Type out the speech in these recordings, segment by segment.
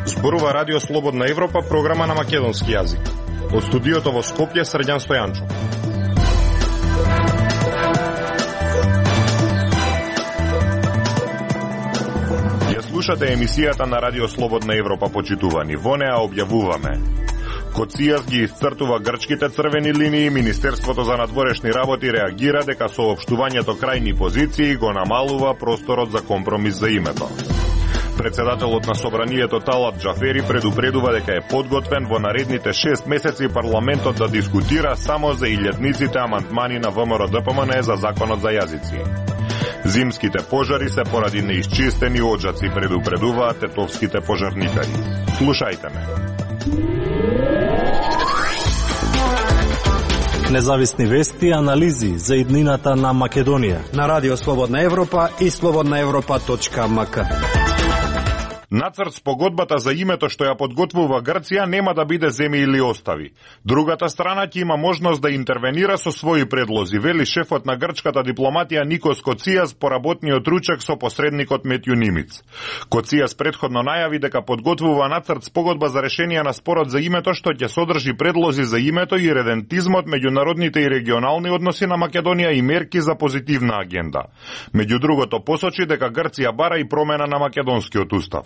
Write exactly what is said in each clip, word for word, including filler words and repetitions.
Зборува Радио Слободна Европа, програма на македонски јазик. Од студиото во Скопје, Срđan Стојанчо. Ја слушате емисијата на Радио Слободна Европа, почитувани. Во неа објавуваме: Коцијас ги исцртува грчките црвени линии, Министерството за надворешни работи реагира дека соопштувањето крајни позиции го намалува просторот за компромис за името. Председателот на Собранието Талат Джафери предупредува дека е подготвен во наредните шест месеци парламентот да дискутира само за илјадниците амандмани на ВМРО-ДПМН за законот за јазици. Зимските пожари се поради неисчистени оджаци, предупредуваат тетовските пожарникари. Слушајте ме. Независни вести и анализи за иднината на Македонија на Радио Слободна Европа и слободна европа точка ем ка. Нацрт с погодбата за името што ја подготвува Грција нема да биде земи или остави. Другата страна ќе има можност да интервенира со своји предлози, вели шефот на грчката дипломатија Никос Коцијас по работниот ручек со посредникот Метју Нимиц. Коцијас претходно најави дека подготвува нацрт с погодба за решение на спорот за името што ќе содржи предлози за името и редентизмот, меѓународните и регионални односи на Македонија и мерки за позитивна агенда. Меѓу другото посочи дека Грција бара и промена на македонскиот устав.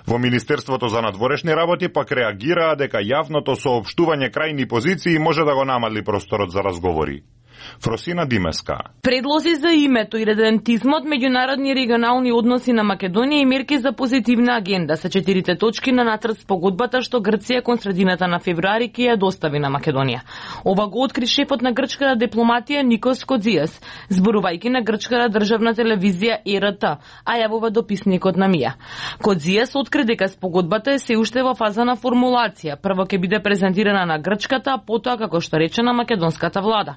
Во Министерството за надворешни работи пак реагираа дека јавното соопштување крајни позиции може да го намали просторот за разговори. Фросина Димеска. Предлози за името и редентизмот, меѓународни и регионални односи на Македонија и мерки за позитивна агенда се четирите точки на нацрт с погодбата што Грција кон средината на февруари ќе ја достави на Македонија. Ова го откри шефот на грчката дипломатија Никос Коцијас, зборувајќи на грчката државна телевизија Е Р Т, а јавува дописникот на Мија. Коцијас откри дека спогодбата е се уште во фаза на формулација. Прво ќе биде презентирана на грчката, а потоа како што рече на македонската влада.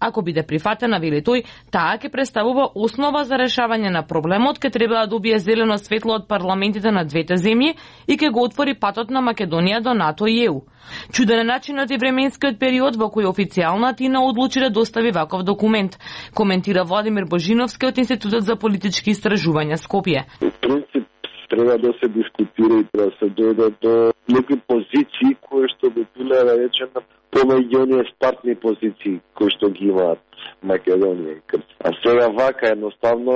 Ако биде прифатена, вели тој, таа ќе представува основа за решавање на проблемот, ќе треба да добие зелено светло од парламентите на двете земји и ќе го отвори патот на Македонија до НАТО и Е У. Чуден е начинот и временскиот период во кој официјална Атина одлучи да достави ваков документ, коментира Владимир Божиновски од Институтот за политички истражувања Скопје. Принцип треба да се дискутира и треба да се дојде до некои позиции кои што би биле, да речеме, помеѓу оние стартни позиции кои што ги имаат Македонија и Грција. А сега вака едноставно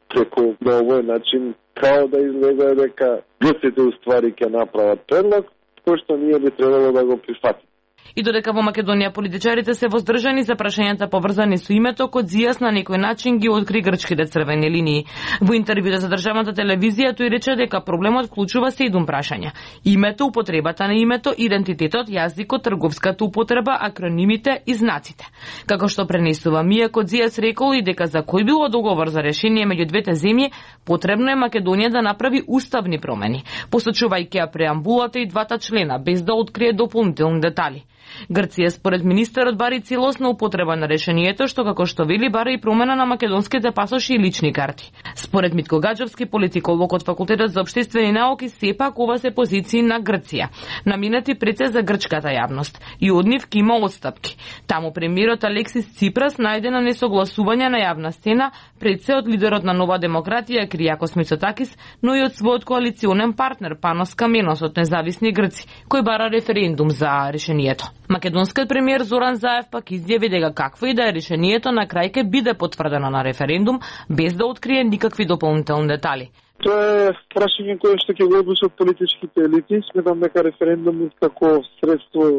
преку на овој начин као да изгледа дека грците уствари ќе направат предлог кој што ние би требало да го прифатиме. И додека во Македонија политичарите се воздржани за прашањата поврзани со името, Коцијас на некој начин ги откри грчките црвени линии. Во интервјута за државната телевизија тој рече дека проблемот вклучува седум прашања: името, употребата на името, идентитетот, јазикот, трговската употреба, акронимите и знаците. Како што пренесува Мија, Коцијас рекол и дека за кој било договор за решение меѓу двете земји, потребно е Македонија да направи уставни промени, посочувајќи ја преамбулата и двата члена, без да открие дополнителни детали. Грција според министерот бари целосна употреба на решението, што како што вели бара и промена на македонските пасоши и лични карти. Според Митко Гаджовски, политиколог од Факултетот за општествени науки, сепак ова се позиции на Грција, наминати пред се за грчката јавност, и од нив ки има отстапки. Таму премиерот Алексис Ципрас најде на несогласување на јавна сцена пред се од лидерот на Нова демократија Киријакос Мицотакис, но и од својот коалиционен партнер Панос Каменос од Независни Грци, кој бара референдум за решението. Македонскиот премиер Зоран Заев пак изјави дека какво и да е решението, на крај ќе биде потврдено на референдум без да открие никакви дополнителни детали. Тоа е прашање кое што ќе го одлучат политичките елити. Сметам дека референдумот како средство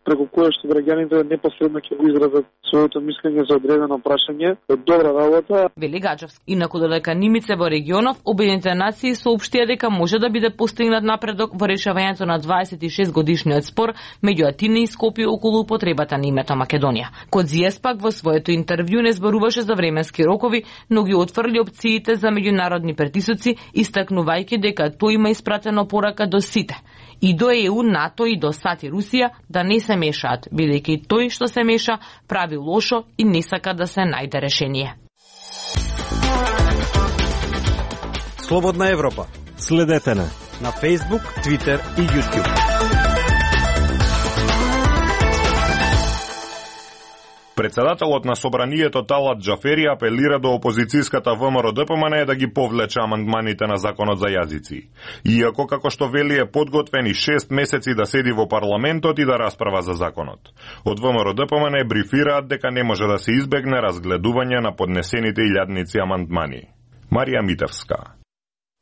преку кое што граѓаните непосредно ќе го изразат своето мислење за одредено прашање е добра работа. Вели Гаджовски. Инаку додека нимице во регионов, Обединетите нации соопштија дека може да биде постигнат напредок во решавањето на дваесет и шест годишниот спор меѓу Атина и Скопје околу употребата на името Македонија. Коцијас пак во своето интервју не зборуваше за временски рокови, но ги отфрли опциите за меѓународни притисоци, истакнувајќи дека тој има испратено порака до сите, и до Е У, НАТО и до САД и Русија, да не се мешаат, бидејќи тој што се меша прави лошо и не сака да се најде решение. Слободна Европа. Следете на на Facebook, Twitter и YouTube. Председателот на собранието Талат Џафери апелира до опозицијската ВМРО-ДПМН да ги повлече амандманите на законот за јазици. Иако, како што вели, е подготвени шест месеци да седи во парламентот и да расправа за законот. Од ВМРО-ДПМН брифираат дека не може да се избегне разгледување на поднесените илјадници амандмани. Марија Митевска.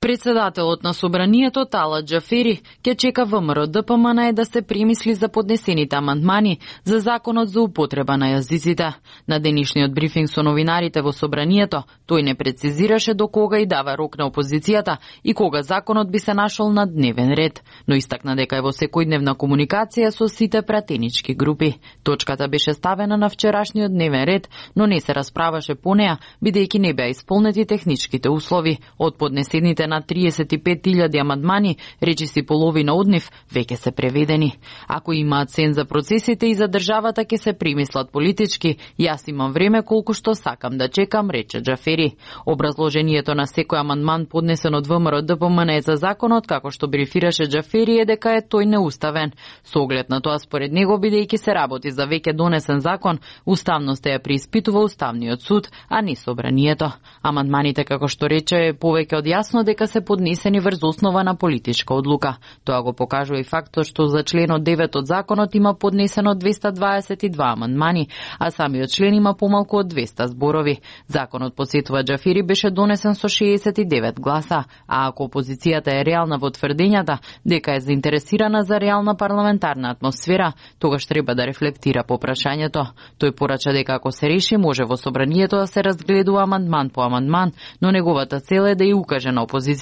Председателот на собранието Талат Џафери ќе чека ВМРО-ДПМН да се премисли за поднесените амандмани за законот за употреба на јазиците. На денешниот брифинг со новинарите во собранието, тој не прецизираше до кога и дава рок на опозицијата и кога законот би се нашол на дневен ред, но истакна дека е во секојдневна комуникација со сите пратенички групи. Точката беше ставена на вчерашниот дневен ред, но не се расправаше по неа, бидејќи не беа исполнети техничките услови. Од поднесените на триесет и пет илјади амандмани, речиси половина од нив веќе се преведени. Ако имаат сен за процесите и за државата ќе се премислат политички, јас имам време колку што сакам да чекам, рече Џафери. Образложението на секој амандман поднесен од ВМРО-ДПМН за законот, како што брифираше Џафери, е дека е тој неуставен. Со оглед на тоа, според него, бидејќи се работи за веќе донесен закон, уставноста ја преиспитува Уставниот суд, а не собранието. Амандманите, како што рече, е повеќе од јасно дека се поднесени врз основа на политичка одлука. Тоа го покажува и фактот што за членот девет од законот има поднесено двеста дваесет и два амандмани, а самиот член има помалку од двеста зборови. Законот, подсетува Џафери, беше донесен со шеесет и девет гласа, а ако опозицијата е реална во тврдењата дека е заинтересирана за реална парламентарна атмосфера, тогаш треба да рефлектира по прашањето. Тој порача дека ако се реши, може во собранието да се разгледува амандман по амандман, но неговата цел е да ја укаже на опозицијата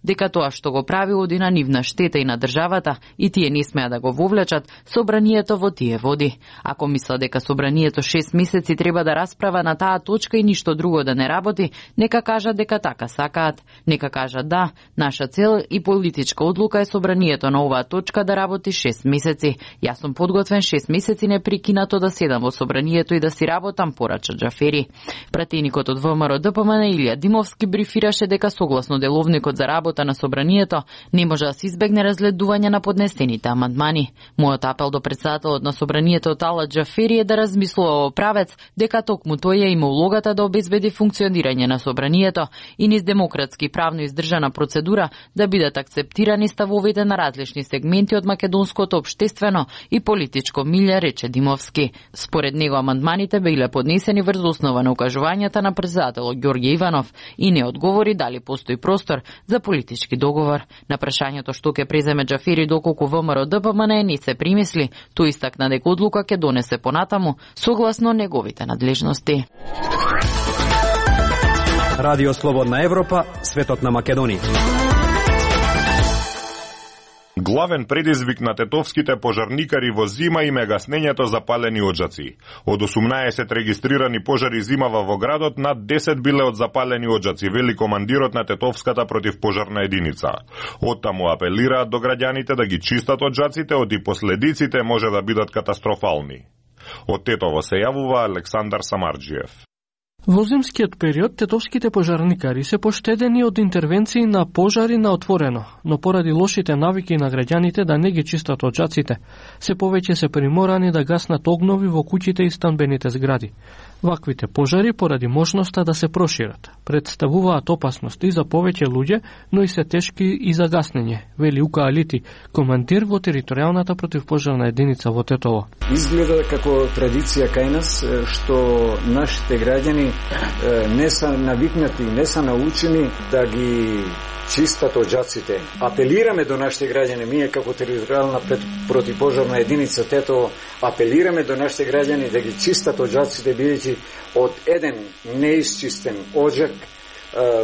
дека тоа што го прави оди на нивна штета и на државата и тие не смеа да го вовлечат собранието во тие води. Ако мисла дека собранието шест месеци треба да расправа на таа точка и ништо друго да не работи, нека кажат дека така сакаат. Нека кажат да, наша цел и политичка одлука е собранието на оваа точка да работи шест месеци. Јас сум подготвен шест месеци непрекинато да седам во собранието и да си работам, порача Џафери. Пратеникот од ВМРО-ДПМН Илија Димовски брифираше дека согласно деловникот за работа на собранието не може да се избегне разгледување на поднесените амандмани. Мојот апел до председателот на собранието Талат Џафери е да размислува во правец дека токму тој има улогата да обезбеди функционирање на собранието и низ демократски правно издржана процедура да бидат акцептирани ставовите на различни сегменти од македонското општествено и политичко милје, рече Димовски. Според него амандманите биле поднесени врз основа на укажувањата на председателот Ѓорѓе Иванов и не одговори дали постои простор за политички договор. На прашањето што ќе преземе Џафери доколку ВМРО-ДПМН не се примисли, тој истакна дека одлука ќе донесе понатаму согласно неговите надлежности. Радио Слободна Европа, светот на Македонија. Главен предизвик на тетовските пожарникари во зима им е гаснењето за палени оџаци. Од осумнаесет регистрирани пожари зимава во градот, над десет биле од запалени оџаци, вели командирот на тетовската противпожарна единица. Оттаму апелираат до граѓаните да ги чистат оџаците, оти последиците може да бидат катастрофални. Од Тетово се јавува Александар Самарџиев. Во зимскиот период тетовските пожарникари се поштедени од интервенции на пожари на отворено, но поради лошите навики на граѓаните да не ги чистат оџаците, се повеќе се приморани да гаснат огнови во куќите и станбените згради. Ваквите пожари, поради можноста да се прошират, представуваат опасност и за повеќе луѓе, но и се тешки и за гаснење, вели Ука Алити, командир во територијалната противпожарна единица во Тетово. Изгледа како традиција кај нас, што нашите граѓани не се навикнати, не се научени да ги чистат оџаците. Апелираме до нашите граѓани, ние како територијална противпожарна единица Тетово, апелираме до нашите граѓани да ги чистат оџаците, бидејќи од еден неисчистен оџак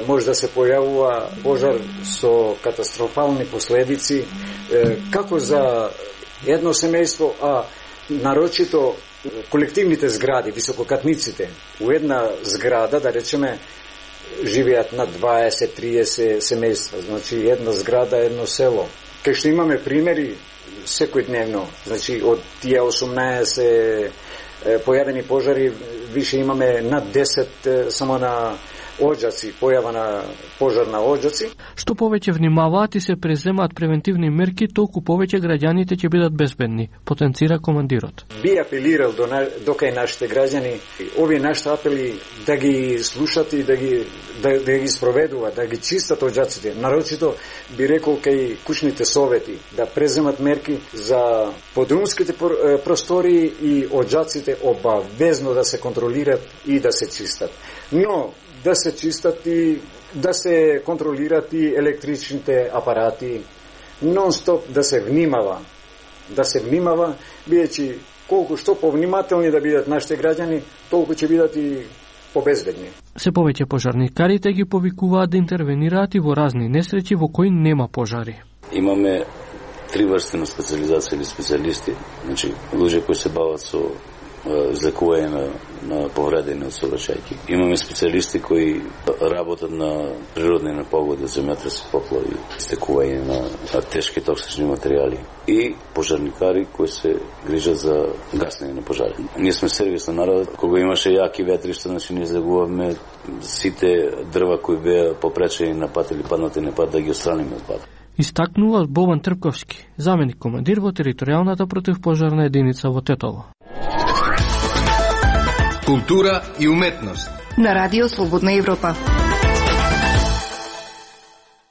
може да се појавува пожар со катастрофални последици, како за едно семејство, а нарочито колективните згради, висококатниците. У една зграда, да речеме, живеат на дваесет до триесет семејства, значи една зграда, едно село. Кај што имаме примери секојдневно, значи од тие осумнаесет појавени пожари, више имаме над десет само на оđаци, појава на пожар на оđаци. Што повеќе внимаваат и се преземаат превентивни мерки, толку повеќе граѓаните ќе бидат безбедни, потенцира командирот. Би апелирал до на, до кај нашите граѓани, овие нашите апели да ги слушат и да ги да, да ги спроведуваат, да ги чистат оđаците. Нарочито би рекол кај кучните совети да преземат мерки за подрумските простори и оđаците обавезно да се контролират и да се чистат. Но да се чистат и да се контролират и електричните апарати, нон-стоп да се внимава, да се внимава, бидејќи колку што повнимателни да бидат нашите граѓани, толку ќе бидат и побезбедни. Се повеќе пожарникарите ги повикуваат да интервенираат и во разни несреќи во кои нема пожари. Имаме три врсти на специализација или специјалисти, значи луѓе кои се бават со излекување на, на повредени од сообраќајки. Имаме специјалисти кои работат на природни непогоди, земјотреси, поплави, истекување на, на тешки токсични материјали и пожарникари кои се грижат за гаснење на пожари. Ние сме сервис на народот. Кога имаше јаки ветришта, значи ние излегувавме сите дрва кои беа попречени на пат или паднати на пат да ги отстраниме од пат. Истакнува Бован Трпковски, заменик командир во територијалната противпожарна единица во Тетово. Култура и уметност на Радио Слободна Европа.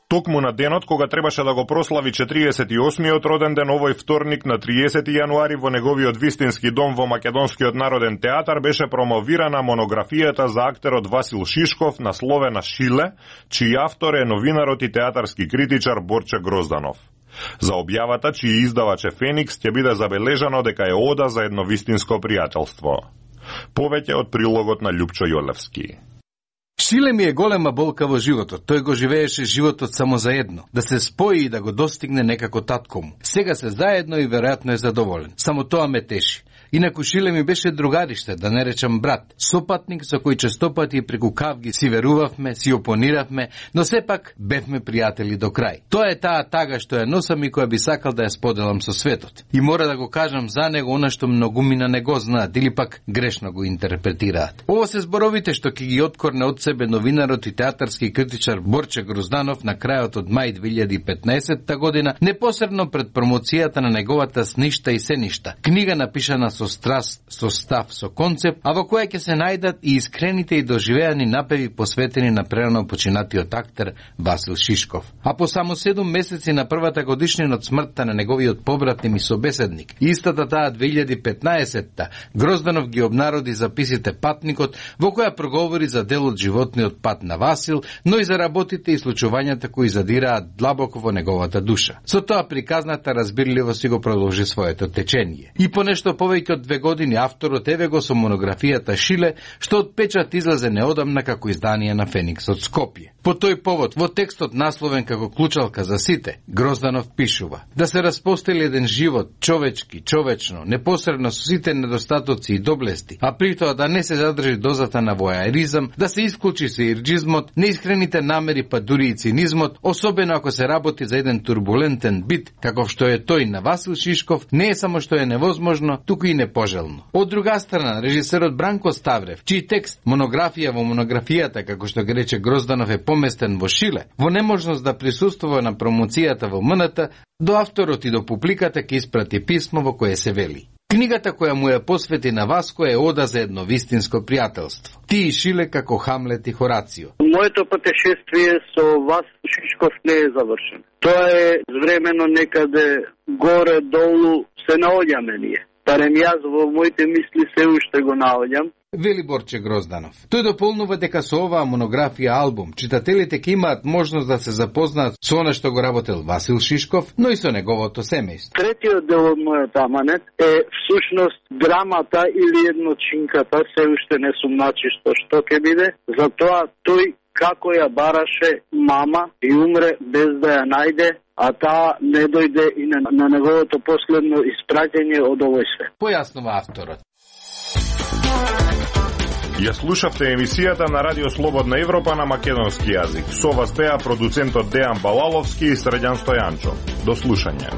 Токму на денот кога требаше да го прослави четириесет и осмиот роден ден, овој вторник на триесети јануари во неговиот вистински дом во Македонскиот народен театар беше промовирана монографијата за актерот Васил Шишков насловена Шиле, чиј автор е новинарот и театарски критичар Борче Грозданов. За објавата, чиј издавач е Феникс, ќе биде забележано дека е ода за едно вистинско пријателство. Повеќе од прилогот на Љупчо Јолевски. Шиле ми е голема болка во животот. Тој го живееше животот само за едно. Да се спои и да го достигне некако татко му. Сега се заедно и веројатно е задоволен. Само тоа ме теши. Инаку Шиле ми беше другариште, да не речам брат. Сопатник со кој честопати преку кавги си верувавме, си опониравме, но сепак бевме пријатели до крај. Тоа е таа тага што ја носам и која би сакал да ја споделам со светот. И мора да го кажам за него она што многумина не го знаат или пак грешно го интерпретираат. Ово се зборовите што ќе ги откорне од себе новинарот и театарски критичар Борче Грозданов на крајот од мај две илјади и петнаесетта година, непосредно пред промоцијата на неговата Сништа и се ништа. Книга напишана со страст, со став, со концепт, а во која ќе се најдат и искрените и доживеани напеви посветени на прерано починатиот актер Васил Шишков. А по само седум месеци на првата годишнина од смртта на неговиот побратим и собеседник, истата таа две илјади и петнаесетта, Грозданов ги обнароди записите Патникот, во која проговори за дел од животниот пат на Васил, но и за работите и случувањата кои задираат длабоко во неговата душа. Со тоа приказната разбирливо си го продолжи своето течение. И по нешто повеќе од две години авторот еве го со монографијата Шиле, што од печат излезе неодамна како издание на Феникс од Скопје. По тој повод, во текстот насловен како клучалка за сите, Грозданов пишува: да се распостели еден живот, човечки, човечно, непосредно со сите недостатоци и доблести, а при тоа да не се задржи дозата на војаризам, да се исклучи се ирџизмот, неискрените намери па дури и цинизмот, особено ако се работи за еден турбулентен бит, каков што е тој на Васил Шишков, не е само што е невозможно, туку и непожелно. Од друга страна, режисерот Бранко Ставрев, чиј текст монографија во монографијата, како што ги рече Грозданов, е поместен во Шиле, во неможност да присуствува на промоцијата во МНТ, до авторот и до публиката ќе испрати писмо во кое се вели: книгата која му ја посвети на Васко е ода за едно вистинско пријателство. Ти и Шиле како Хамлет и Хорацио. Моето патешествие со Васил Шишков не е завршено. Тоа е времено некаде горе-долу се наоѓаме ние. Барем јас во моите мисли се уште го наоѓам. Вели Борче Грозданов. Тој дополнува дека со оваа монографија албум читателите ќе имаат можност да се запознаат со она што го работел Васил Шишков, но и со неговото семејство. Третиот дел од мојот аманет е всушност драмата или едночинката, се уште не сум начисто што ќе биде, затоа тој како ја бараше мама и умре без да ја најде, а таа не дојде и на, на неговото последно испраќање од овој свет. Појаснува авторот. Ја слушавте емисијата на Радио Слободна Европа на македонски јазик. Со вас беа продуцентот Дејан Балаловски и Средјан Стојанчо. До слушање.